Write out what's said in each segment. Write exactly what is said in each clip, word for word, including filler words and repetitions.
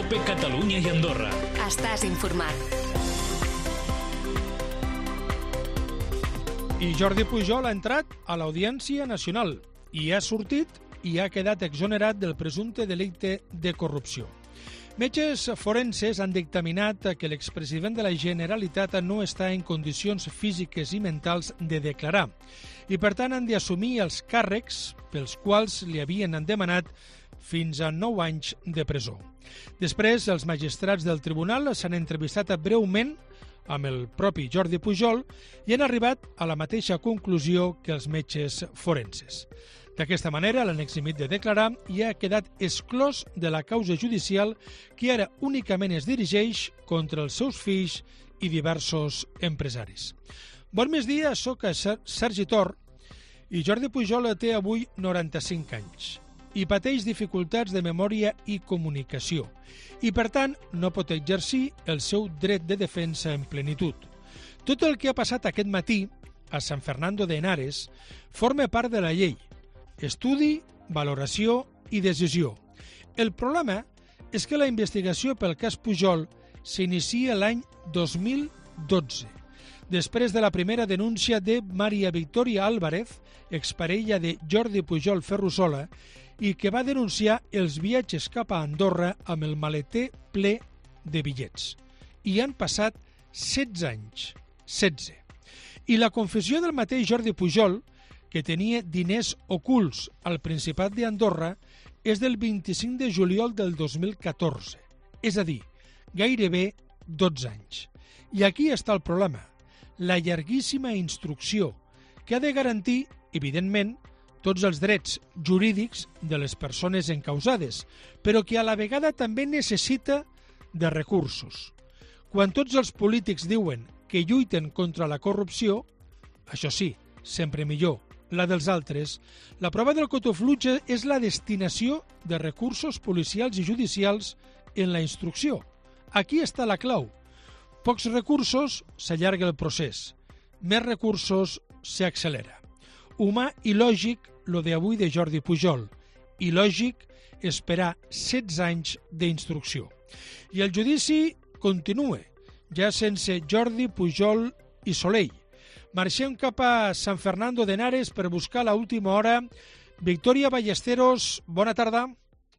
COPE Catalunya i Andorra. Estàs informat. I Jordi Pujol ha entrat a l'Audiència Nacional i ha sortit i ha quedat exonerat del presumpte delicte de corrupció. Metges forenses han dictaminat que l'expresident de la Generalitat no està en condicions físiques i mentals de declarar i, per tant, han d'assumir els càrrecs pels quals li havien demanat fins a nou anys de presó. Després, els magistrats del tribunal s'han entrevistat breument amb el propi Jordi Pujol i han arribat a la mateixa conclusió que els metges forenses. D'aquesta manera, l'han eximit de declarar i ha quedat exclòs de la causa judicial que ara únicament es dirigeix contra els seus fills i diversos empresaris. Bon migdia, soc Sergi Tor i Jordi Pujol té avui noranta-cinc anys i pateix dificultats de memòria i comunicació i, per tant, no pot exercir el seu dret de defensa en plenitud. Tot el que ha passat aquest matí a San Fernando de Henares forma part de la llei, estudi, valoració i decisió. El problema és que la investigació pel cas Pujol s'inicia l'any dos mil dotze, després de la primera denúncia de Maria Victoria Álvarez, exparella de Jordi Pujol Ferrusola, i que va denunciar els viatges cap a Andorra amb el maleter ple de bitllets. I han passat setze anys, setze. I la confessió del mateix Jordi Pujol, que tenia diners ocults al Principat d'Andorra, és del vint-i-cinc de juliol del dos mil catorze, és a dir, gairebé dotze anys. I aquí està el problema, la llarguíssima instrucció, que ha de garantir, evidentment, tots els drets jurídics de les persones encausades, però que a la vegada també necessita de recursos. Quan tots els polítics diuen que lluiten contra la corrupció, això sí, sempre millor, la dels altres, la prova del cotofluge és la destinació de recursos policials i judicials en la instrucció. Aquí està la clau. Pocs recursos, s'allarga el procés. Més recursos, s'accelera. Humà i lògic lo d'avui de Jordi Pujol, i lògic esperar setze anys d'instrucció. I el judici continua, ja sense Jordi Pujol i Soleil. Marxem cap a San Fernando de Henares per buscar l'última hora. Victoria Ballesteros, bona tarda.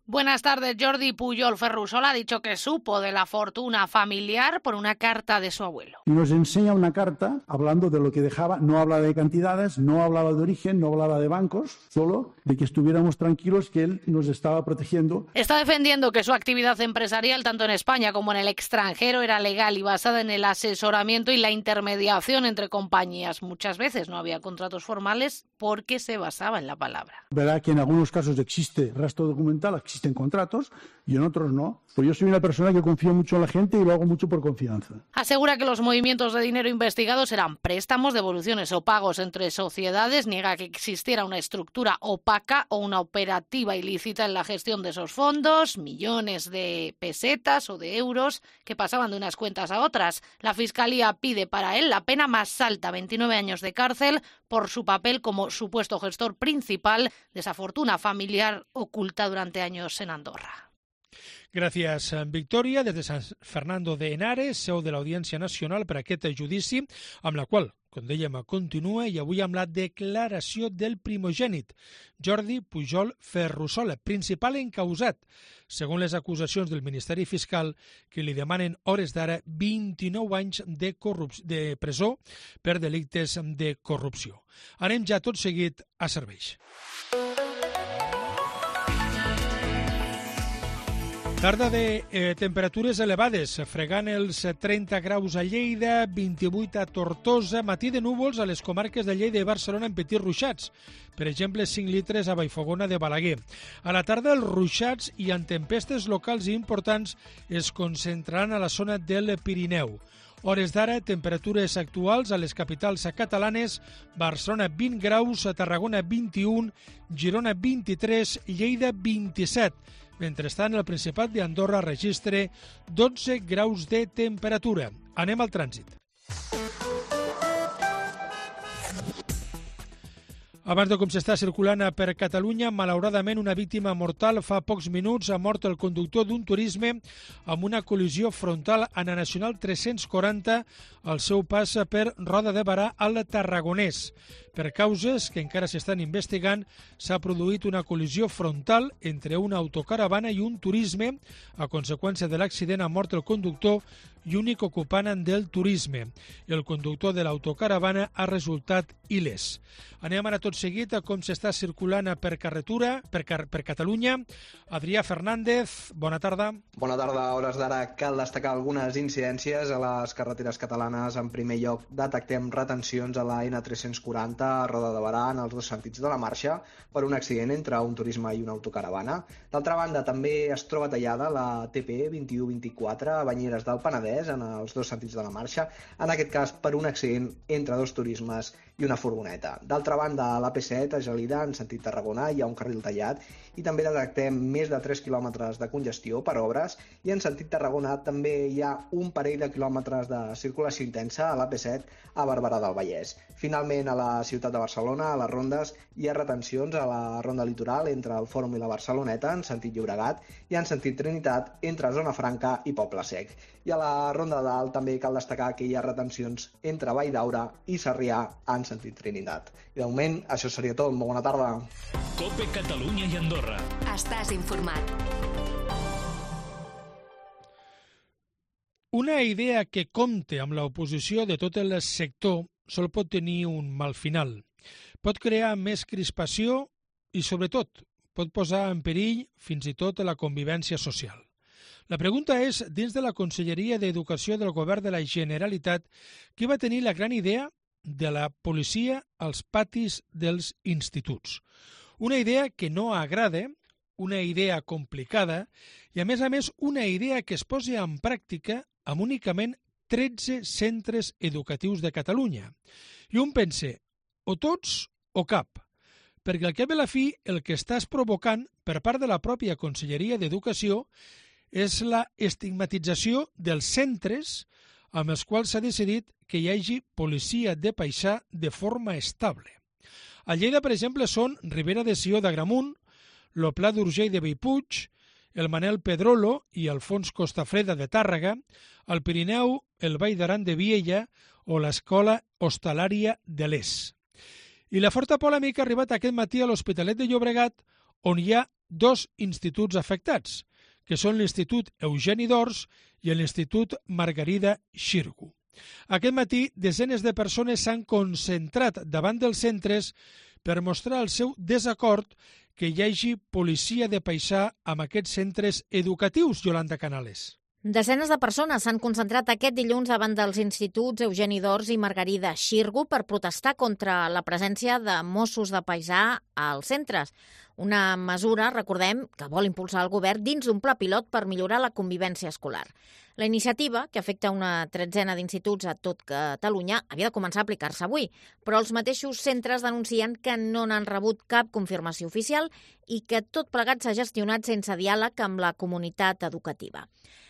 Buenas tardes. Jordi Pujol Ferrusola ha dicho que supo de la fortuna familiar por una carta de su abuelo. Y nos enseña una carta hablando de lo que dejaba, no hablaba de cantidades, no hablaba de origen, no hablaba de bancos, solo de que estuviéramos tranquilos que él nos estaba protegiendo. Está defendiendo que su actividad empresarial, tanto en España como en el extranjero, era legal y basada en el asesoramiento y la intermediación entre compañías. Muchas veces no había contratos formales porque se basaba en la palabra. Verá que en algunos casos existe rastro documental, existe en contratos y en otros no. Pues yo soy una persona que confío mucho en la gente y lo hago mucho por confianza. Asegura que los movimientos de dinero investigados eran préstamos, devoluciones o pagos entre sociedades. Niega que existiera una estructura opaca o una operativa ilícita en la gestión de esos fondos, millones de pesetas o de euros que pasaban de unas cuentas a otras. La Fiscalía pide para él la pena más alta, veintinueve años de cárcel, por su papel como supuesto gestor principal de esa fortuna familiar oculta durante años en Andorra. Gràcies, Victòria. Des de San Fernando de Henares, seu de l'Audiència Nacional per aquest judici, amb la qual, com dèiem, continua i avui amb la declaració del primogènit, Jordi Pujol Ferrusola, principal encausat, segons les acusacions del Ministeri Fiscal, que li demanen hores d'ara vint-i-nou anys de, de presó per delictes de corrupció. Anem ja tot seguit a serveis. Tarda de eh, temperatures elevades, fregant els trenta graus a Lleida, vint-i-vuit a Tortosa, matí de núvols a les comarques de Lleida i Barcelona en petits ruixats, per exemple cinc litres a Vallfogona de Balaguer. A la tarda els ruixats i en tempestes locals i importants es concentraran a la zona del Pirineu. Hores d'ara, temperatures actuals a les capitals catalanes, Barcelona vint graus, a Tarragona vint-i-un, Girona vint-i-tres, Lleida vint-i-set. Mentrestant, el Principat d'Andorra registra dotze graus de temperatura. Anem al trànsit. Abans de com s'està circulant per Catalunya, malauradament una víctima mortal fa pocs minuts. Ha mort el conductor d'un turisme amb una col·lisió frontal a la Nacional tres-cents quaranta al seu pas per Roda de Barà al Tarragonès. Per causes que encara s'estan investigant, s'ha produït una col·lisió frontal entre una autocaravana i un turisme. A conseqüència de l'accident ha mort el conductor i únic ocupant del turisme. El conductor de l'autocaravana ha resultat il·lès. Anem ara tot seguit a com s'està circulant per carretura, per, car per Catalunya. Adrià Fernández, bona tarda. Bona tarda. A hores d'ara cal destacar algunes incidències a les carreteres catalanes. En primer lloc, detectem retencions a la N tres-cents quaranta a Roda de Barà en els dos sentits de la marxa per un accident entre un turisme i una autocaravana. D'altra banda, també es troba tallada la T P vint-i-u vint-i-quatre a Banyeres del Penedès en els dos sentits de la marxa, en aquest cas per un accident entre dos turismes i una furgoneta. D'altra banda, a l'A P set, a Gelida, en sentit Tarragona, hi ha un carril tallat i també detectem més de tres quilòmetres de congestió per obres i en sentit Tarragona també hi ha un parell de quilòmetres de circulació intensa a l'A P set a Barberà del Vallès. Finalment, a la ciutat de Barcelona, a les rondes, hi ha retencions a la ronda litoral entre el Fòrum i la Barceloneta en sentit Llobregat i en sentit Trinitat entre Zona Franca i Poble Sec. I a la ronda dalt també cal destacar que hi ha retencions entre Vall d'Aura i Sarrià en sentit Trinitat. I de moment, això seria tot. Molt bona tarda. COPE Catalunya i Andorra. Estàs informat. Una idea que compte amb l'oposició de tot el sector sol pot tenir un mal final. Pot crear més crispació i, sobretot, pot posar en perill fins i tot la convivència social. La pregunta és, dins de la Conselleria d'Educació del Govern de la Generalitat, qui va tenir la gran idea de la policia als patis dels instituts? Una idea que no agrada, una idea complicada i, a més a més, una idea que es posi en pràctica amb únicament tretze centres educatius de Catalunya. I un pensa, o tots o cap, perquè al cap i a la fi el que estàs provocant per part de la pròpia Conselleria d'Educació és la estigmatització dels centres amb els quals s'ha decidit que hi hagi policia de paisà de forma estable. A Lleida, per exemple, són Ribera de Sió d'Agramunt, el Pla d'Urgell de Bellpuig, el Manel Pedrolo i Alfons Costafreda de Tàrrega, al Pirineu, el Vall d'Aran de Viella o l'Escola Hostalària de l'Es. I la forta polèmica ha arribat aquest matí a l'Hospitalet de Llobregat, on hi ha dos instituts afectats, que són l'Institut Eugeni d'Ors i l'Institut Margarida Xirgu. Aquest matí, desenes de persones s'han concentrat davant dels centres per mostrar el seu desacord que hi hagi policia de paisà amb aquests centres educatius, Yolanda Canales. Desenes de persones s'han concentrat aquest dilluns davant dels instituts Eugeni d'Ors i Margarida Xirgu per protestar contra la presència de Mossos de paisà als centres. Una mesura, recordem, que vol impulsar el govern dins d'un pla pilot per millorar la convivència escolar. La iniciativa, que afecta una tretzena d'instituts a tot Catalunya, havia de començar a aplicar-se avui, però els mateixos centres denuncien que no n'han rebut cap confirmació oficial i que tot plegat s'ha gestionat sense diàleg amb la comunitat educativa.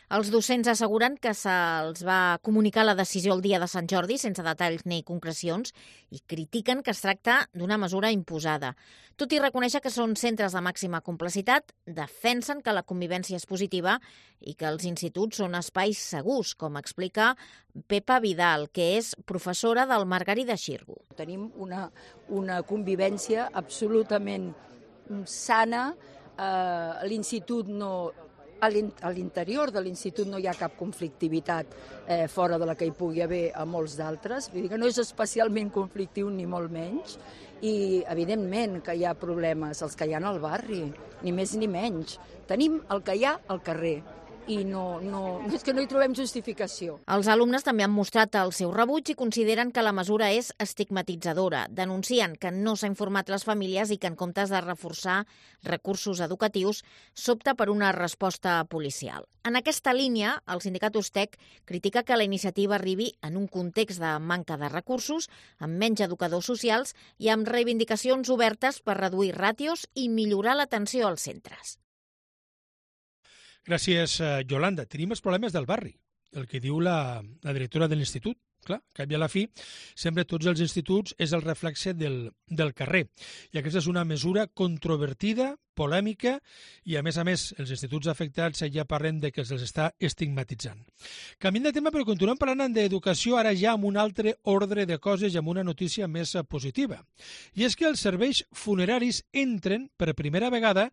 Els docents asseguren que se'ls va comunicar la decisió el dia de Sant Jordi sense detalls ni concrecions i critiquen que es tracta d'una mesura imposada. Tot i reconèixer que són centres de màxima complexitat, defensen que la convivència és positiva i que els instituts són espais segurs, com explica Pepa Vidal, que és professora del Margarida Xirgu. Tenim una, una convivència absolutament sana, eh, l'institut no... A l'interior de l'institut no hi ha cap conflictivitat eh, fora de la que hi pugui haver a molts d'altres. Vull dir que no és especialment conflictiu ni molt menys i evidentment que hi ha problemes, els que hi ha al barri, ni més ni menys. Tenim el que hi ha al carrer i no, no, és que no hi trobem justificació. Els alumnes també han mostrat el seu rebuig i consideren que la mesura és estigmatitzadora. Denuncien que no s'ha informat les famílies i que en comptes de reforçar recursos educatius s'opta per una resposta policial. En aquesta línia, el sindicat Ustec critica que la iniciativa arribi en un context de manca de recursos, amb menys educadors socials i amb reivindicacions obertes per reduir ràtios i millorar l'atenció als centres. Gràcies, Yolanda. Tenim els problemes del barri, el que diu la, la directora de l'institut. clar, que a la fi, sempre tots els instituts és el reflexe del, del carrer. I aquesta és una mesura controvertida, polèmica, i a més a més els instituts afectats ja parlen de que se'ls està estigmatitzant. Canviant de tema, però continuem parlant d'educació, ara ja amb un altre ordre de coses i amb una notícia més positiva. I és que els serveis funeraris entren per primera vegada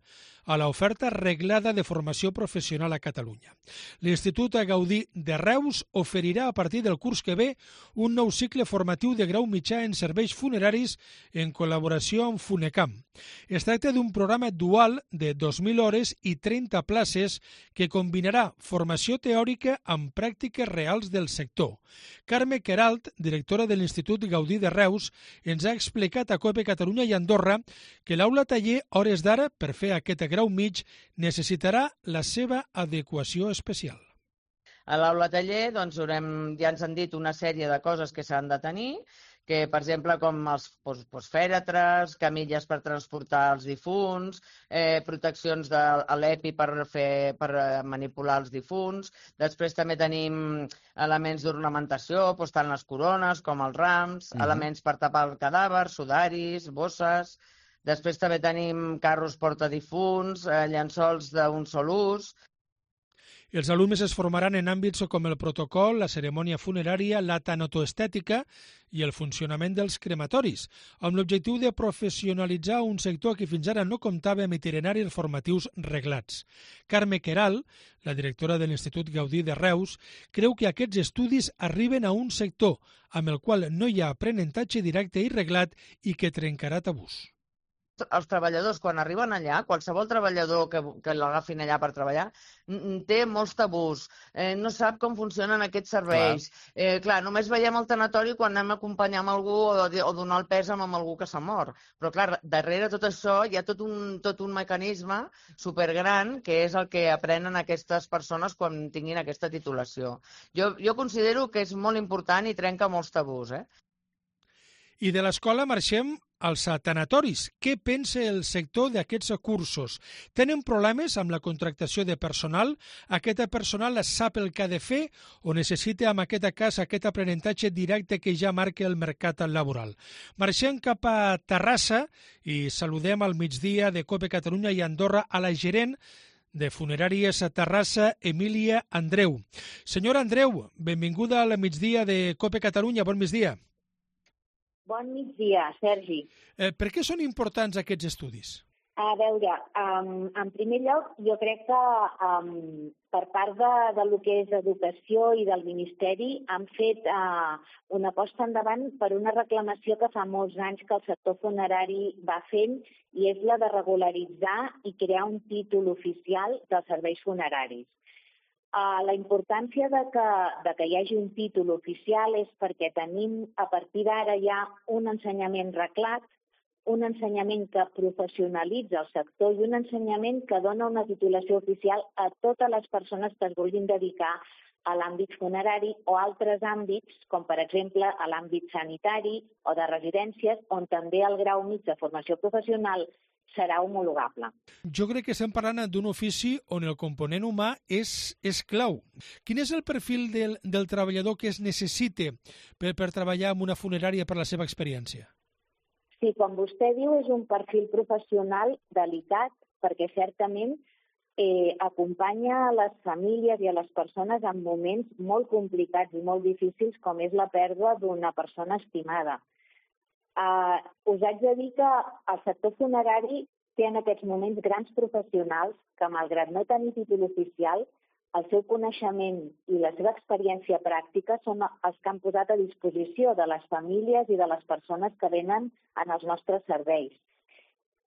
a l'oferta reglada de formació professional a Catalunya. L'Institut Gaudí de Reus oferirà a partir del curs que ve un nou cicle formatiu de grau mitjà en serveis funeraris en col·laboració amb Funecam. Es tracta d'un programa dual de dos mil hores i trenta places que combinarà formació teòrica amb pràctiques reals del sector. Carme Queralt, directora de l'Institut Gaudí de Reus, ens ha explicat a COPE Catalunya i Andorra que l'aula taller, a hores d'ara, per fer aquest grau mig, necessitarà la seva adequació especial. A l'aula taller doncs, haurem, ja ens han dit una sèrie de coses que s'han de tenir, que, per exemple, com els fèretres, camilles per transportar els difunts, eh, proteccions de l'EPI per, fer, per manipular els difunts. Després també tenim elements d'ornamentació, doncs, tant les corones com els rams, uh-huh. elements per tapar el cadàver, sudaris, bosses. Després també tenim carros portadifunts, eh, llençols d'un sol ús. Els alumnes es formaran en àmbits com el protocol, la cerimònia funerària, la tanatoestètica i el funcionament dels crematoris, amb l'objectiu de professionalitzar un sector que fins ara no comptava amb itineraris formatius reglats. Carme Queralt, la directora de l'Institut Gaudí de Reus, creu que aquests estudis arriben a un sector amb el qual no hi ha aprenentatge directe i reglat i que trencarà tabús. Els treballadors, quan arriben allà, qualsevol treballador que, que l'agafin allà per treballar, té molts tabús, eh, no sap com funcionen aquests serveis. Clar, eh, clar només veiem el tanatori quan anem a acompanyar amb algú o, o donar el pes amb algú que s'ha mort. Però, clar, darrere tot això hi ha tot un, tot un mecanisme supergran que és el que aprenen aquestes persones quan tinguin aquesta titulació. Jo, jo considero que és molt important i trenca molts tabús, eh? I de l'escola marxem als tanatoris. Què pensa el sector d'aquests cursos? Tenen problemes amb la contractació de personal? Aquest personal sap el que ha de fer o necessita, en aquest cas, aquest aprenentatge directe que ja marca el mercat laboral? Marxem cap a Terrassa i saludem al migdia de COPE Catalunya i Andorra a la gerent de Funeràries a Terrassa, Emília Andreu. Senyora Andreu, benvinguda al migdia de COPE Catalunya. Bon migdia. Bon migdia, Sergi. Eh, per què són importants aquests estudis? A veure, um, en primer lloc, jo crec que um, per part de, de lo que és educació i del Ministeri han fet uh, una aposta endavant per una reclamació que fa molts anys que el sector funerari va fent i és la de regularitzar i crear un títol oficial dels serveis funeraris. Uh, la importància de que, de que hi hagi un títol oficial és perquè tenim a partir d'ara ja un ensenyament reglat, un ensenyament que professionalitza el sector i un ensenyament que dona una titulació oficial a totes les persones que es vulguin dedicar a l'àmbit funerari o altres àmbits, com per exemple a l'àmbit sanitari o de residències, on també el grau mig de formació professional serà homologable. Jo crec que estem parlant d'un ofici on el component humà és, és clau. Quin és el perfil del, del treballador que es necessita per, per treballar en una funerària per la seva experiència? Sí, com vostè diu, és un perfil professional delicat perquè certament eh, acompanya a les famílies i a les persones en moments molt complicats i molt difícils com és la pèrdua d'una persona estimada. Uh, us haig de dir que el sector funerari té en aquests moments grans professionals que, malgrat no tenir títol oficial, el seu coneixement i la seva experiència pràctica són els que han posat a disposició de les famílies i de les persones que venen en els nostres serveis.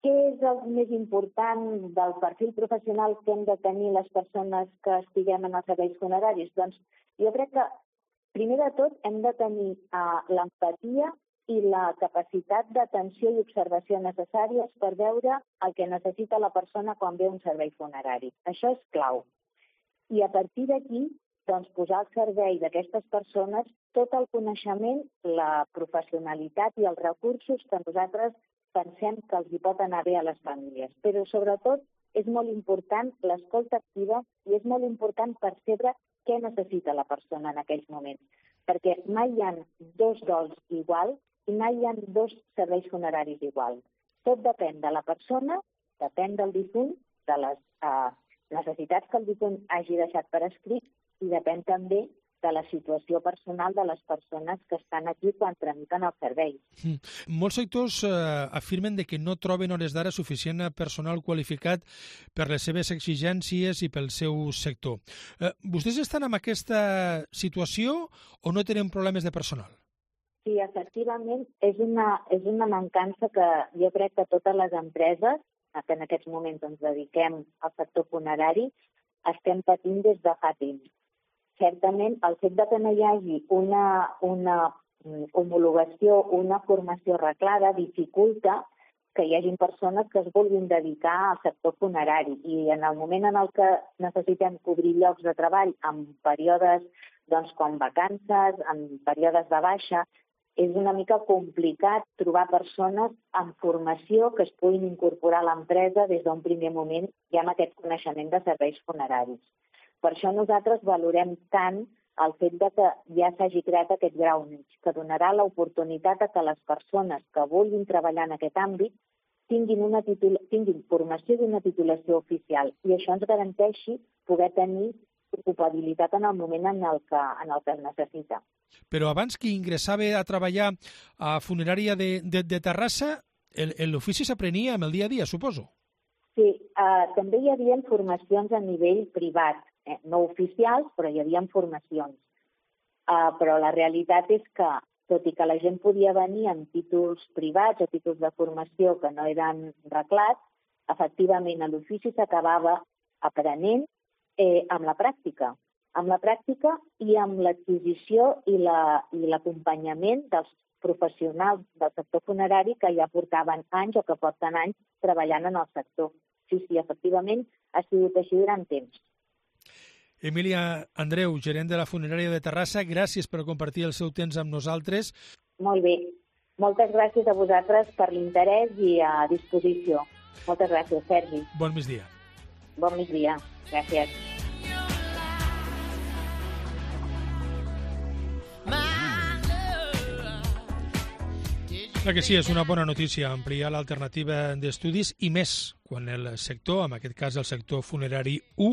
Què és el més important del perfil professional que hem de tenir les persones que estiguem en els serveis funeraris? Doncs jo crec que, primer de tot, hem de tenir uh, l'empatia i la capacitat d'atenció i observació necessàries per veure el que necessita la persona quan ve a un servei funerari. Això és clau. I a partir d'aquí, doncs, posar al servei d'aquestes persones tot el coneixement, la professionalitat i els recursos que nosaltres pensem que els hi pot anar bé a les famílies. Però, sobretot, és molt important l'escolta activa i és molt important percebre què necessita la persona en aquells moments. perquè mai hi ha dos dols iguals i mai hi ha dos serveis funeraris iguals. Tot depèn de la persona, depèn del difunt, de les eh, necessitats que el difunt hagi deixat per escrit i depèn també de la situació personal de les persones que estan aquí quan tramiten els serveis. Mm. Molts sectors eh, afirmen de que no troben hores d'ara suficient personal qualificat per les seves exigències i pel seu sector. Eh, vostès estan en aquesta situació o no tenen problemes de personal? Sí, efectivament, és una, és una mancança que jo crec que totes les empreses que en aquests moments ens dediquem al sector funerari estem patint des de fa temps. Certament, el fet de que no hi hagi una, una homologació, una formació arreglada, dificulta que hi hagi persones que es vulguin dedicar al sector funerari. I en el moment en el que necessitem cobrir llocs de treball en períodes doncs, com vacances, en períodes de baixa, és una mica complicat trobar persones amb formació que es puguin incorporar a l'empresa des d'un primer moment ja amb aquest coneixement de serveis funeraris. Per això nosaltres valorem tant el fet de que ja s'hagi creat aquest grau mig, que donarà l'oportunitat a que les persones que vulguin treballar en aquest àmbit tinguin, una titula... tinguin formació d'una titulació oficial i això ens garanteixi poder tenir ocupabilitat en el moment en el que, en el que es necessita. Però abans que ingressava a treballar a funerària de, de, de Terrassa, l'ofici s'aprenia amb el dia a dia, suposo? Sí, eh, també hi havia formacions a nivell privat, eh, no oficials, però hi havia formacions. Eh, però la realitat és que, tot i que la gent podia venir amb títols privats o títols de formació que no eren reglats, efectivament a l'ofici s'acabava aprenent eh, amb la pràctica. Amb la pràctica i amb l'adquisició i l'acompanyament la, dels professionals del sector funerari que ja portaven anys o que porten anys treballant en el sector. Sí, sí, efectivament, ha sigut així durant temps. Emília Andreu, gerent de la funerària de Terrassa, gràcies per compartir el seu temps amb nosaltres. Molt bé. Moltes gràcies a vosaltres per l'interès i a disposició. Moltes gràcies, Sergi. Bon migdia. Bon migdia. Gràcies. Clar que sí, és una bona notícia ampliar l'alternativa d'estudis i més quan el sector, en aquest cas el sector funerari u,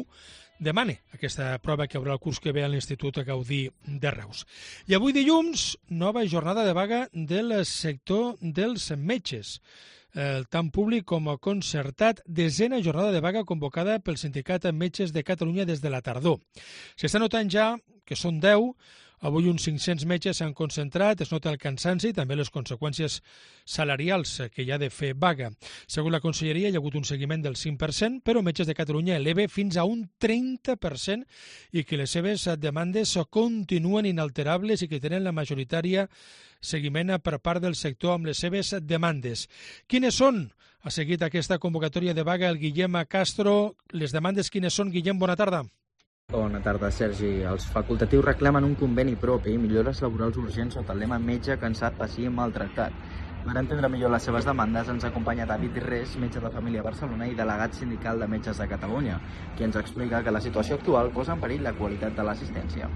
demana aquesta prova que haurà el curs que ve a l'Institut Gaudí de Reus. I avui dilluns, nova jornada de vaga del sector dels metges. El tant públic com concertat, desena jornada de vaga convocada pel Sindicat Metges de Catalunya des de la tardor. S'està notant ja que són deu. Avui uns cinc-cents metges s'han concentrat, es nota el cansanci i també les conseqüències salarials que hi ha de fer vaga. Segons la Conselleria, hi ha hagut un seguiment del cinc per cent, però Metges de Catalunya eleva fins a un trenta per cent i que les seves demandes continuen inalterables i que tenen la majoritària seguiment per part del sector amb les seves demandes. Quines són? Ha seguit aquesta convocatòria de vaga el Guillem Castro. Les demandes quines són? Guillem, bona tarda. Bona tarda, Sergi. Els facultatius reclamen un conveni propi i millores laborals urgents sota el lema metge cansat, pacient, maltractat. Per entendre millor les seves demandes ens acompanya David Res, metge de família a Barcelona i delegat sindical de Metges de Catalunya, qui ens explica que la situació actual posa en perill la qualitat de l'assistència.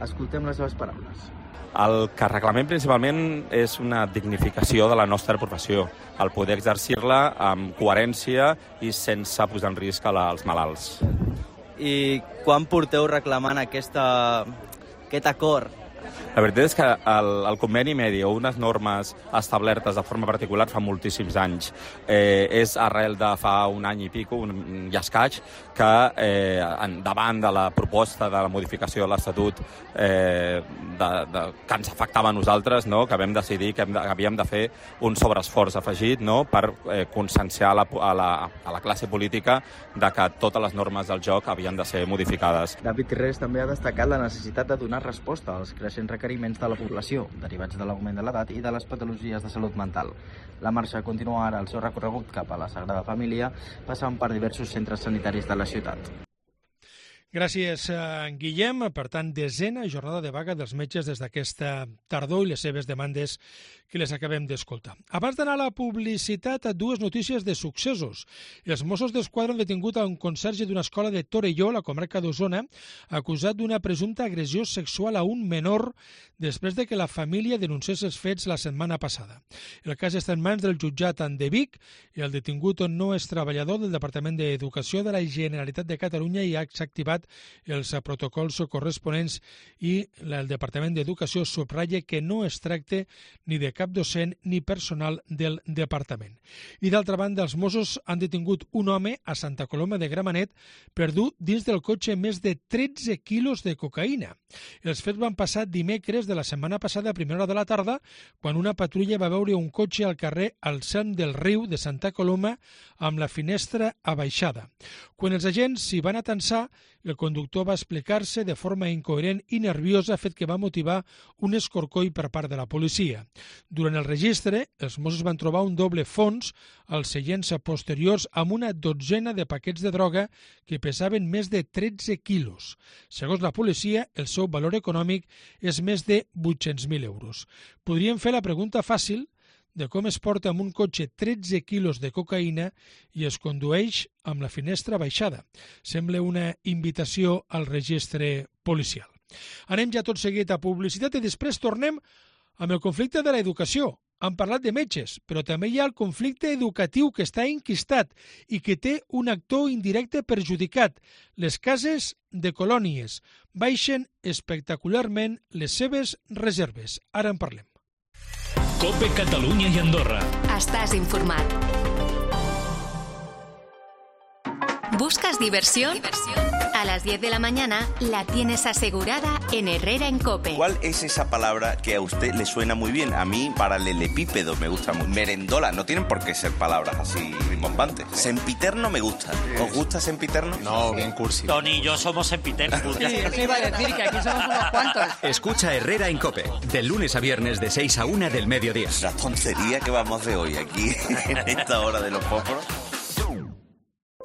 Escoltem les seves paraules. El que reclamem principalment és una dignificació de la nostra professió, el poder exercir-la amb coherència i sense posar en risc als malalts. I quan porteu reclamant aquesta, aquest acord? La veritat és que el, el conveni medi o unes normes establertes de forma particular fa moltíssims anys. Eh, és arrel de fa un any i pico, un i escaig, que eh, davant de la proposta de la modificació de l'Estatut eh, de, de, que ens afectava a nosaltres, no? Que vam decidir que, hem de, que havíem de fer un sobreesforç afegit, no? Per eh, conscienciar a la, a, la, a la classe política de que totes les normes del joc havien de ser modificades. David Res també ha destacat la necessitat de donar resposta als creixents requeriments de la població, derivats de l'augment de l'edat i de les patologies de salut mental. La marxa continua ara el seu recorregut cap a la Sagrada Família, passant per diversos centres sanitaris de la ciutat. Gràcies, Guillem. Per tant, desena jornada de vaga dels metges des d'aquesta tardor i les seves demandes que les acabem d'escoltar. Abans d'anar a la publicitat, dues notícies de successos. Els Mossos d'Esquadra han detingut a un conserge d'una escola de Torelló, a la comarca d'Osona, acusat d'una presumpta agressió sexual a un menor després de que la família denunciés els fets la setmana passada. El cas està en mans del jutjat de Vic i el detingut no és treballador del Departament d'Educació de la Generalitat de Catalunya i ha activat els protocols corresponents i el Departament d'Educació subratlla que no es tracta ni de cap docent ni personal del departament. I d'altra banda, els Mossos han detingut un home a Santa Coloma de Gramenet per dur dins del cotxe més de tretze quilos de cocaïna. Els fets van passar dimecres de la setmana passada a primera hora de la tarda, quan una patrulla va veure un cotxe al carrer al cent del riu de Santa Coloma amb la finestra abaixada. Quan els agents s'hi van atensar, el conductor va explicar-se de forma incoherent i nerviosa, fet que va motivar un escorcoll per part de la policia. Durant el registre, els Mossos van trobar un doble fons als seients posteriors amb una dotzena de paquets de droga que pesaven més de tretze quilos. Segons la policia, el seu valor econòmic és més de vuit-cents mil euros. Podríem fer la pregunta fàcil de com es porta amb un cotxe tretze quilos de cocaïna i es condueix amb la finestra baixada. Sembla una invitació al registre policial. Anem ja tot seguit a publicitat i després tornem amb el conflicte de l'educació. Han parlat de metges, però també hi ha el conflicte educatiu que està enquistat i que té un actor indirecte perjudicat. Les cases de colònies baixen espectacularment les seves reserves. Ara en parlem. COPE Catalunya i Andorra. Estàs informat. ¿Buscas diversión? A las diez de la mañana la tienes asegurada en Herrera en COPE. ¿Cuál es esa palabra que a usted le suena muy bien? A mí, paralelepípedo me gusta muy. Merendola, no tienen por qué ser palabras así rimbombantes. Sempiterno me gusta. ¿Os gusta sempiterno? No, bien cursi. Tony y yo somos sempiternos. Sí, eso iba a decir, que aquí somos unos cuantos. Escucha Herrera en COPE, de lunes a viernes de seis a una del mediodía. La tontería que vamos de hoy aquí, en esta hora de los fósforos.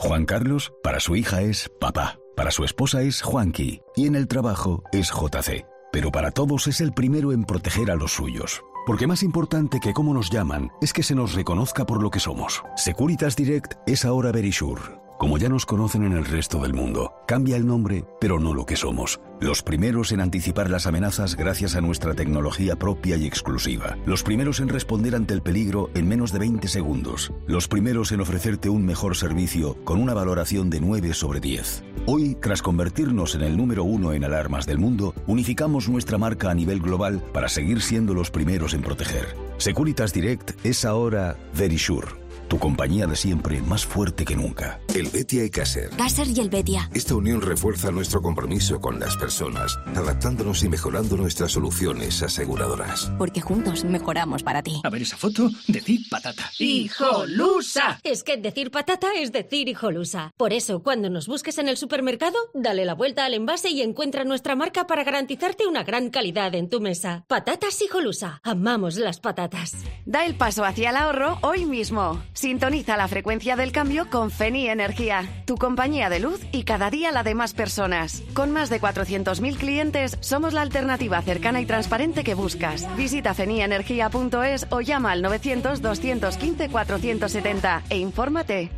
Juan Carlos, para su hija es papá. Para su esposa es Juanqui y en el trabajo es J C. Pero para todos es el primero en proteger a los suyos. Porque más importante que cómo nos llaman es que se nos reconozca por lo que somos. Securitas Direct es ahora Verisure. Como ya nos conocen en el resto del mundo, cambia el nombre, pero no lo que somos. Los primeros en anticipar las amenazas gracias a nuestra tecnología propia y exclusiva. Los primeros en responder ante el peligro en menos de veinte segundos. Los primeros en ofrecerte un mejor servicio con una valoración de nueve sobre diez. Hoy, tras convertirnos en el número uno en alarmas del mundo, unificamos nuestra marca a nivel global para seguir siendo los primeros en proteger. Securitas Direct es ahora Verisure. Tu compañía de siempre, más fuerte que nunca. El Betia y Caser. Caser y el Betia. Esta unión refuerza nuestro compromiso con las personas, adaptándonos y mejorando nuestras soluciones aseguradoras. Porque juntos mejoramos para ti. A ver esa foto, decir patata. ¡Hijolusa! Es que decir patata es decir hijolusa. Por eso, cuando nos busques en el supermercado, dale la vuelta al envase y encuentra nuestra marca para garantizarte una gran calidad en tu mesa. Patatas Hijolusa. Amamos las patatas. Da el paso hacia el ahorro hoy mismo. Sintoniza la frecuencia del cambio con Feni Energía, tu compañía de luz y cada día la de más personas. Con más de cuatrocientos mil clientes, somos la alternativa cercana y transparente que buscas. Visita fenienergia punto es o llama al novecientos, doscientos quince, cuatrocientos setenta e infórmate.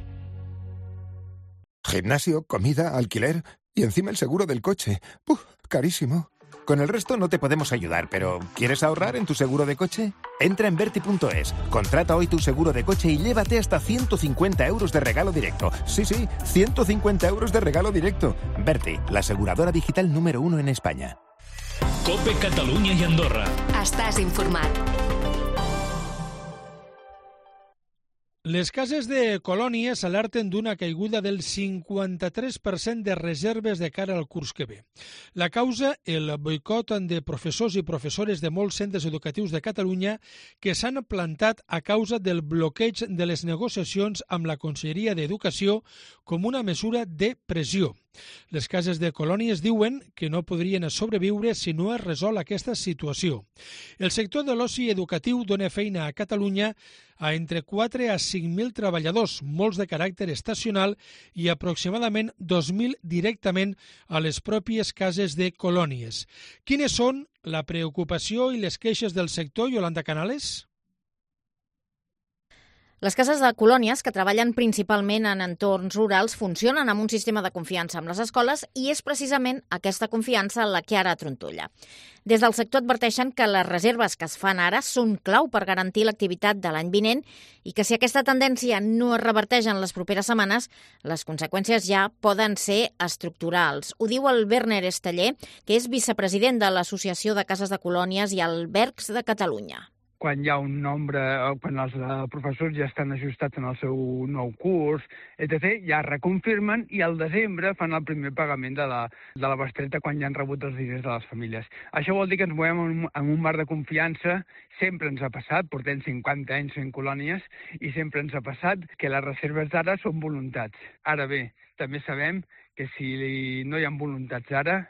Gimnasio, comida, alquiler y encima el seguro del coche. ¡Uf! Carísimo. Con el resto no te podemos ayudar, pero ¿quieres ahorrar en tu seguro de coche? Entra en Verti punto es, contrata hoy tu seguro de coche y llévate hasta ciento cincuenta euros de regalo directo. Sí, sí, ciento cincuenta euros de regalo directo. Verti, la aseguradora digital número uno en España. COPE Catalunya i Andorra. Estàs informat. Les cases de colònies alerten d'una caiguda del cinquanta-tres per cent de reserves de cara al curs que ve. La causa, el boicot de professors i professores de molts centres educatius de Catalunya que s'han plantat a causa del bloqueig de les negociacions amb la Conselleria d'Educació com una mesura de pressió. Les cases de colònies diuen que no podrien sobreviure si no es resol aquesta situació. El sector de l'oci educatiu dona feina a Catalunya a entre quatre a cinc mil treballadors, molts de caràcter estacional i aproximadament dos mil directament a les pròpies cases de colònies. Quines són la preocupació i les queixes del sector, Yolanda Canales? Les cases de colònies, que treballen principalment en entorns rurals, funcionen amb un sistema de confiança amb les escoles i és precisament aquesta confiança la que ara trontolla. Des del sector adverteixen que les reserves que es fan ara són clau per garantir l'activitat de l'any vinent i que si aquesta tendència no es reverteix en les properes setmanes, les conseqüències ja poden ser estructurals. Ho diu el Werner Esteller, que és vicepresident de l'Associació de Cases de Colònies i Albergs de Catalunya. Quan hi ha un nombre, quan els professors ja estan ajustats en el seu nou curs, etcètera, ja reconfirmen i al desembre fan el primer pagament de la, de la bestreta quan ja han rebut els diners de les famílies. Això vol dir que ens movem en un, en un marc de confiança, sempre ens ha passat, portem cinquanta anys fent colònies, i sempre ens ha passat que les reserves d'ara són voluntats. Ara bé, també sabem que si no hi ha voluntats ara,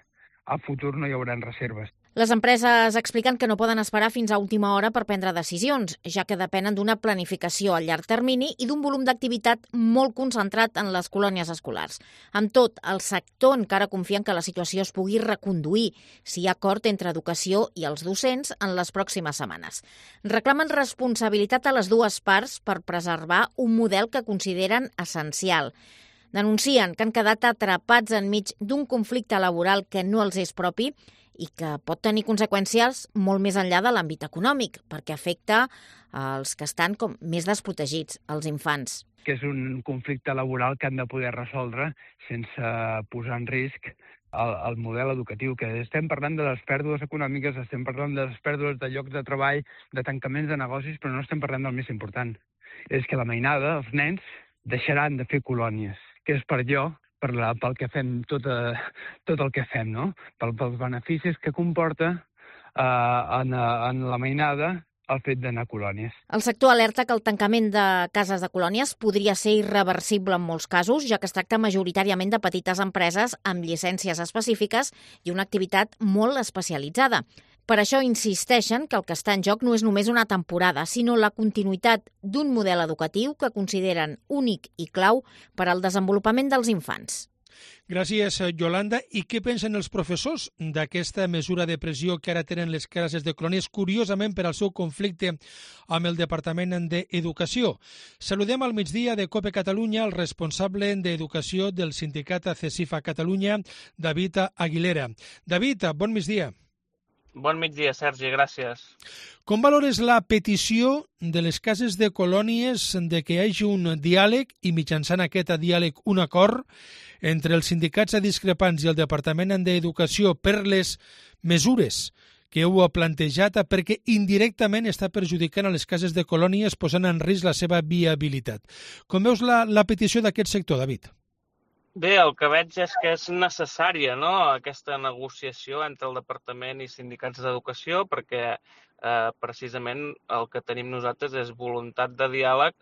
al futur no hi haurà reserves. Les empreses expliquen que no poden esperar fins a última hora per prendre decisions, ja que depenen d'una planificació a llarg termini i d'un volum d'activitat molt concentrat en les colònies escolars. Amb tot, el sector encara confia en que la situació es pugui reconduir si hi ha acord entre educació i els docents en les pròximes setmanes. Reclamen responsabilitat a les dues parts per preservar un model que consideren essencial. Denuncien que han quedat atrapats enmig d'un conflicte laboral que no els és propi i que pot tenir conseqüències molt més enllà de l'àmbit econòmic, perquè afecta els que estan com més desprotegits, els infants. Que és un conflicte laboral que han de poder resoldre sense posar en risc el, el model educatiu, que estem parlant de les pèrdues econòmiques, estem parlant de les pèrdues de llocs de treball, de tancaments de negocis, però no estem parlant del més important. És que la mainada, els nens, deixaran de fer colònies, que és per allò, per la, pel que fem, tot, eh, tot el que fem, no? Pel, pels beneficis que comporta eh, en, en la mainada el fet d'anar a colònies. El sector alerta que el tancament de cases de colònies podria ser irreversible en molts casos, ja que es tracta majoritàriament de petites empreses amb llicències específiques i una activitat molt especialitzada. Per això insisteixen que el que està en joc no és només una temporada, sinó la continuïtat d'un model educatiu que consideren únic i clau per al desenvolupament dels infants. Gràcies, Yolanda. I què pensen els professors d'aquesta mesura de pressió que ara tenen les cases de colònies, curiosament per al seu conflicte amb el Departament d'Educació? Saludem al migdia de COPE Catalunya el responsable d'Educació del sindicat CESIFA Catalunya, David Aguilera. David, bon migdia. Bon migdia, Sergi, gràcies. Com valores la petició de les cases de colònies de que hi hagi un diàleg i mitjançant aquest diàleg un acord entre els sindicats discrepants i el Departament d'Educació per les mesures que heu plantejat perquè indirectament està perjudicant a les cases de colònies posant en risc la seva viabilitat? Com veus la, la petició d'aquest sector, David? Bé, el que veig és que és necessària, no?, aquesta negociació entre el Departament i sindicats d'educació, perquè eh, precisament el que tenim nosaltres és voluntat de diàleg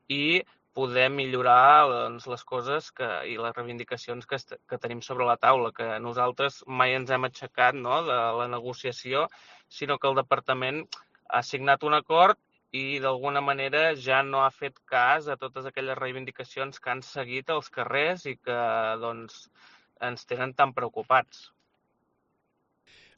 i poder millorar doncs, les coses que, i les reivindicacions que, que tenim sobre la taula, que nosaltres mai ens hem aixecat, no?, de la negociació, sinó que el Departament ha signat un acord i d'alguna manera ja no ha fet cas a totes aquelles reivindicacions que han seguit als carrers i que doncs, ens tenen tan preocupats.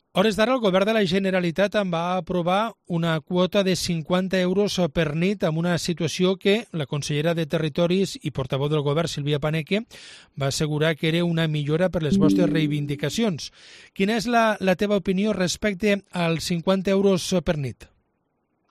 A hores d'ara, el govern de la Generalitat en va aprovar una quota de cinquanta euros per nit amb una situació que la consellera de Territoris i portaveu del govern, Sílvia Paneque, va assegurar que era una millora per les vostres reivindicacions. Quina és la, la teva opinió respecte als cinquanta euros per nit?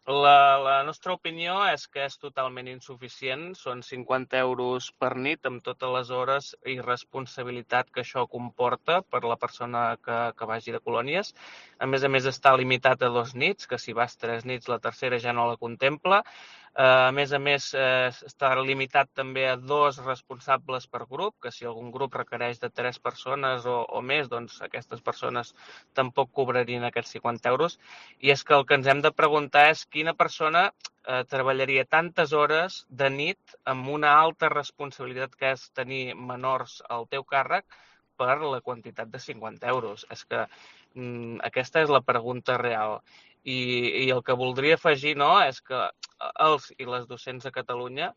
La, la nostra opinió és que és totalment insuficient, són cinquanta euros per nit amb totes les hores i responsabilitat que això comporta per la persona que, que vagi de colònies. A més a més està limitat a dos nits, que si vas tres nits la tercera ja no la contempla. A més a més eh, està limitat també a dos responsables per grup, que si algun grup requereix de tres persones o, o més, doncs aquestes persones tampoc cobrarien aquests cinquanta euros. I és que el que ens hem de preguntar és quina persona eh, treballaria tantes hores de nit amb una alta responsabilitat que és tenir menors al teu càrrec per la quantitat de cinquanta euros. És que mm, aquesta és la pregunta real. I, i el que voldria afegir, no, és que els i les docents de Catalunya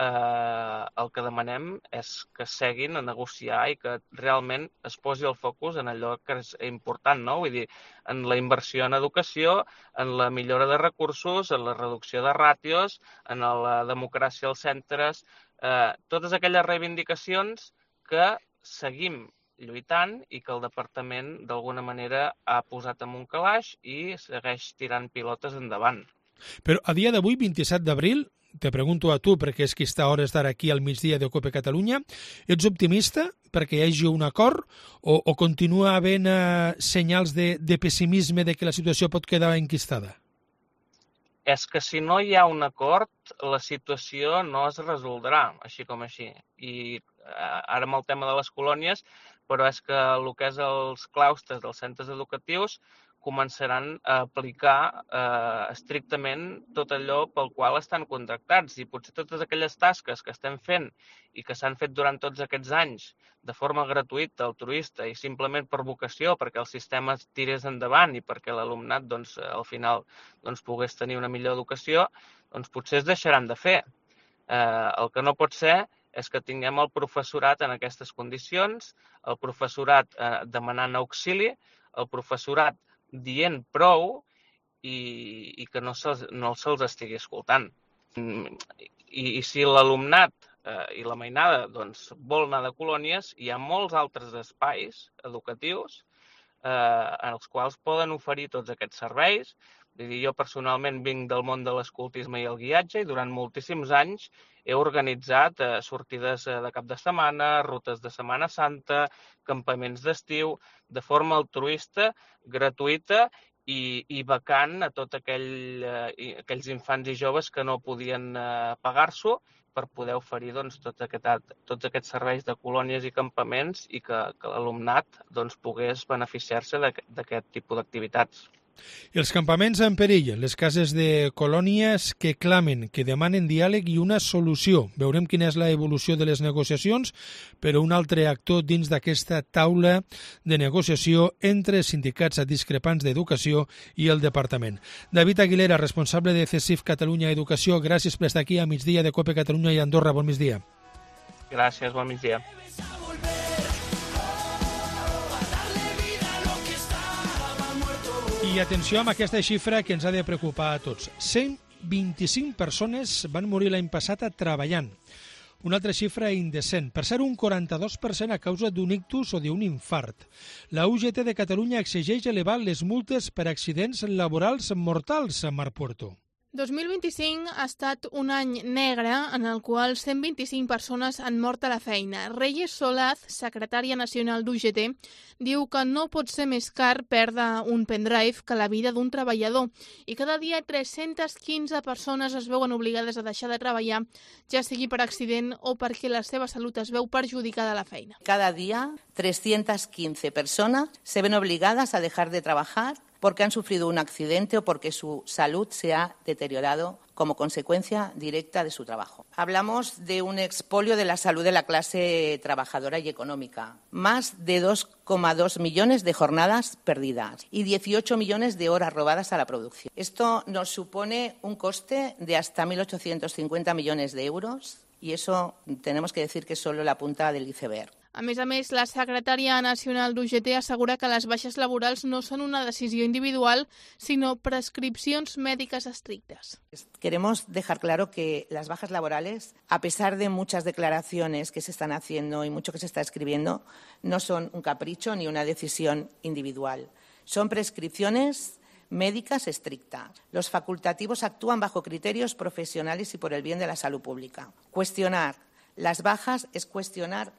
eh, el que demanem és que seguin a negociar i que realment es posi el focus en allò que és important, no? Vull dir, en la inversió en educació, en la millora de recursos, en la reducció de ràtios, en la democràcia als centres, eh, totes aquelles reivindicacions que seguim lluitant i que el departament d'alguna manera ha posat en un calaix i segueix tirant pilotes endavant. Però a dia d'avui, vint-i-set d'abril, te pregunto a tu, perquè és que està a hores d'ara aquí al migdia de Cope Catalunya, ets optimista perquè hi hagi un acord o, o continua havent eh, senyals de, de pessimisme de que la situació pot quedar enquistada? És que si no hi ha un acord, la situació no es resoldrà, així com així. I ara amb el tema de les colònies, però és que el que és els claustres dels centres educatius començaran a aplicar eh, estrictament tot allò pel qual estan contractats. I potser totes aquelles tasques que estem fent i que s'han fet durant tots aquests anys de forma gratuïta, altruista i simplement per vocació, perquè el sistema tirés endavant i perquè l'alumnat doncs, al final doncs, pogués tenir una millor educació, doncs potser es deixaran de fer. Eh, el que no pot ser és que tinguem el professorat en aquestes condicions, el professorat eh, demanant auxili, el professorat dient prou i, i que no se'ls no se'ls estigui escoltant. I, i si l'alumnat eh, i la mainada doncs, vol anar de colònies, hi ha molts altres espais educatius eh, en els quals poden oferir tots aquests serveis. Vull dir, jo personalment vinc del món de l'escoltisme i el guiatge i durant moltíssims anys he organitzat eh, sortides de cap de setmana, rutes de Setmana Santa, campaments d'estiu, de forma altruista, gratuïta i, i becant a tots aquell, eh, aquells infants i joves que no podien eh, pagar-s'ho per poder oferir doncs, tot aquest, tots aquests serveis de colònies i campaments i que, que l'alumnat doncs, pogués beneficiar-se d'aquest tipus d'activitats. Els campaments en perill, les cases de colònies que clamen, que demanen diàleg i una solució. Veurem quina és la evolució de les negociacions, però un altre actor dins d'aquesta taula de negociació entre sindicats discrepants d'educació i el departament. David Aguilera, responsable de C E S I F Catalunya Educació, gràcies per estar aquí a migdia de Cope Catalunya i Andorra. Bon migdia. Gràcies, bon migdia. I atenció amb aquesta xifra que ens ha de preocupar a tots. cent vint-i-cinc persones van morir l'any passat treballant. Una altra xifra indecent, per ser un quaranta-dos per cent a causa d'un ictus o d'un infart. La U G T de Catalunya exigeix elevar les multes per accidents laborals mortals a Mar Puerto. dos mil vint-i-cinc ha estat un any negre en el qual cent vint-i-cinc persones han mort a la feina. Reyes Solaz, secretària nacional d'U G T, diu que no pot ser més car perdre un pendrive que la vida d'un treballador i cada dia tres-centes quinze persones es veuen obligades a deixar de treballar, ja sigui per accident o perquè la seva salut es veu perjudicada a la feina. Cada día trescientas quince personas se ven obligadas a dejar de trabajar porque han sufrido un accidente o porque su salud se ha deteriorado como consecuencia directa de su trabajo. Hablamos de un expolio de la salud de la clase trabajadora y económica. Más de dos coma dos millones de jornadas perdidas y dieciocho millones de horas robadas a la producción. Esto nos supone un coste de hasta mil ochocientos cincuenta millones de euros y eso tenemos que decir que es solo la punta del iceberg. A més a més, la secretària nacional d'U G T assegura que les baixes laborals no són una decisió individual, sinó prescripcions mèdiques estrictes. Queremos dejar claro que las bajas laborales, a pesar de muchas declaraciones que se están haciendo y mucho que se está escribiendo, no son un capricho ni una decisión individual. Son prescripciones médicas estrictas. Los facultativos actúan bajo criterios profesionales y por el bien de la salud pública. Cuestionar las bajas es cuestionar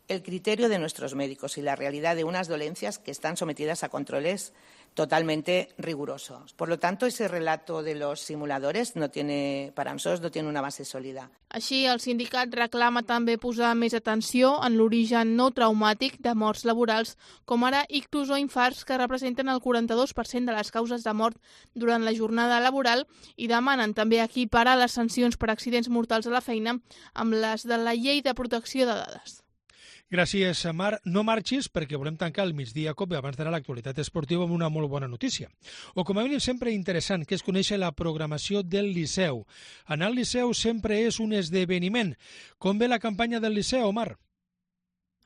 el criterio de nuestros médicos y la realidad de unas dolencias que están sometidas a controles totalmente rigurosos. Por lo tanto, ese relato de los simuladores no tiene, para nosotros no tiene una base sólida. Així, el sindicat reclama també posar més atenció en l'origen no traumàtic de morts laborals, com ara ictus o infarts, que representen el quaranta-dos per cent de les causes de mort durant la jornada laboral, i demanen també equiparar les sancions per accidents mortals a la feina amb les de la Llei de Protecció de Dades. Gràcies, Mar. No marxis perquè volem tancar el migdia COPE abans d'anar a l'actualitat esportiva amb una molt bona notícia. O com a mínim sempre interessant, que és conèixer la programació del Liceu. Anar al Liceu sempre és un esdeveniment. Com ve la campanya del Liceu, Mar?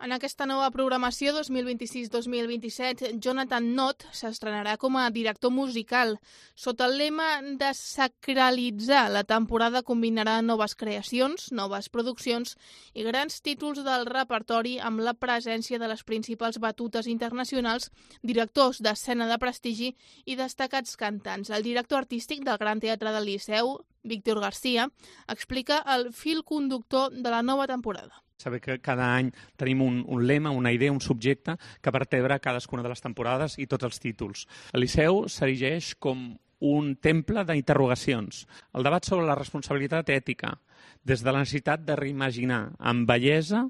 En aquesta nova programació dos mil vint-i-sis dos mil vint-i-set, Jonathan Nott s'estrenarà com a director musical. Sota el lema de sacralitzar, la temporada combinarà noves creacions, noves produccions i grans títols del repertori amb la presència de les principals batutes internacionals, directors d'escena de prestigi i destacats cantants. El director artístic del Gran Teatre del Liceu, Víctor García, explica el fil conductor de la nova temporada. Saber que cada any tenim un, un lema, una idea, un subjecte que vertebra cadascuna de les temporades i tots els títols. El Liceu s'erigeix com un temple d'interrogacions. El debat sobre la responsabilitat ètica, des de la necessitat de reimaginar amb bellesa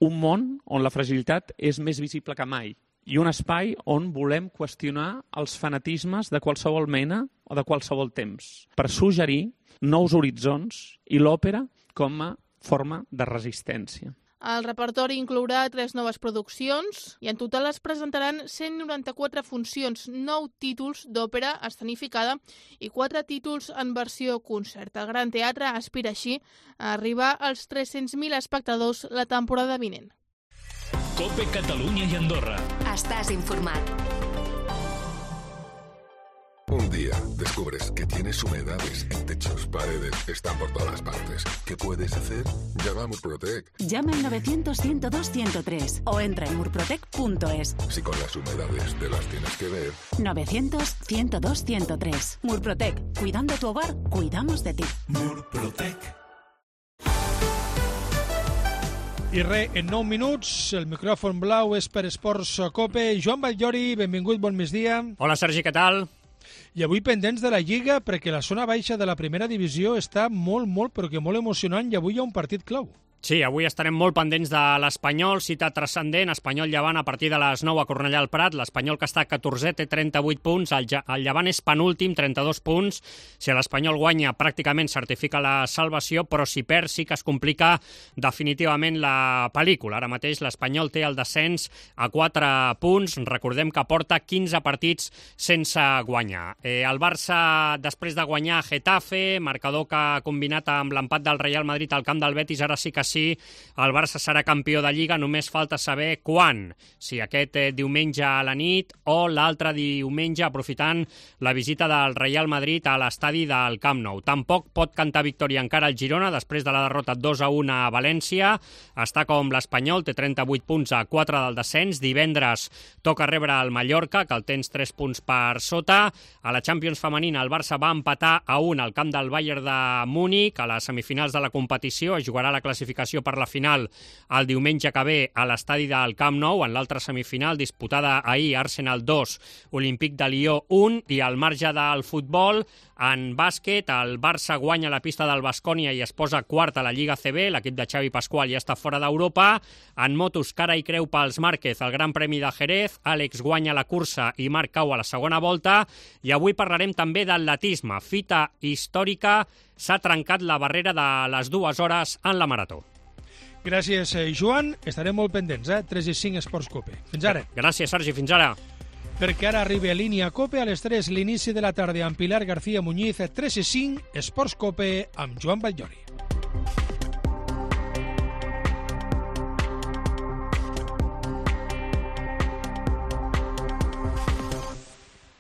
un món on la fragilitat és més visible que mai i un espai on volem qüestionar els fanatismes de qualsevol mena o de qualsevol temps, per suggerir nous horitzons i l'òpera com a forma de resistència. El repertori inclourà tres noves produccions i en total es presentaran cent noranta-quatre funcions, nou títols d'òpera escenificada i quatre títols en versió concert. El Gran Teatre aspira així a arribar als tres-cents mil espectadors la temporada vinent. COPE Catalunya i Andorra. Estàs informat. Un día descubres que tienes humedades en techos, paredes, están por todas partes. ¿Qué puedes hacer? Llama a Murprotec. Llama al novecientos, ciento dos, ciento tres o entra en murprotec punto es. Si con las humedades te las tienes que ver. novecientos, ciento dos, ciento tres. Murprotec. Cuidando tu hogar, cuidamos de ti. Murprotec. I res, en nou minuts, el micròfon blau és per Esports COPE. Joan Batllori, benvingut, bon migdia. Hola, Sergi, què tal? I avui pendents de la Lliga, perquè la zona baixa de la primera divisió està molt, molt, però que molt emocionant, i avui hi ha un partit clau. Sí, avui estarem molt pendents de l'Espanyol, cita transcendent, Espanyol-Llevant a partir de les nou a Cornellà al Prat. L'Espanyol, que està a catorzè, té trenta-vuit punts, el, el Llevant és penúltim, trenta-dos punts. Si l'Espanyol guanya, pràcticament certifica la salvació, però si perd sí que es complica definitivament la pel·lícula. Ara mateix l'Espanyol té el descens a quatre punts, recordem que porta quinze partits sense guanyar. Eh, el Barça, després de guanyar Getafe, marcador que ha combinat amb l'empat del Real Madrid al camp del Betis, ara sí que sí, el Barça serà campió de Lliga, només falta saber quan, si aquest eh, diumenge a la nit o l'altre diumenge aprofitant la visita del Real Madrid a l'estadi del Camp Nou. Tampoc pot cantar victòria encara el Girona després de la derrota dos a un a València. Està com l'Espanyol, té trenta-vuit punts a quatre del descens. Divendres toca rebre el Mallorca, que el tens tres punts per sota. A la Champions femenina el Barça va empatar a un al camp del Bayern de Múnich. A les semifinals de la competició es jugarà la classificació per la final el diumenge que ve a l'estadi del Camp Nou. En l'altra semifinal disputada ahir, Arsenal dos, Olímpic de Lió un, i al marge del futbol, en bàsquet, el Barça guanya la pista del Baskonia i es posa quart a la Lliga C B, l'equip de Xavi Pascual ja està fora d'Europa. En motos, cara i creu pels Márquez, el Gran Premi de Jerez, Àlex guanya la cursa i Marc cau a la segona volta, i avui parlarem també d'atletisme. Fita històrica, s'ha trencat la barrera de les dues hores en la marató. Gràcies, Joan. Estarem molt pendents, eh? tres i cinc Esports COPE. Fins ara. Gràcies, Sergi. Fins ara. Perquè ara arriba a línia COPE a les tres, l'inici de la tarda amb Pilar García Muñiz, tres i cinc Esports COPE amb Joan Batllori.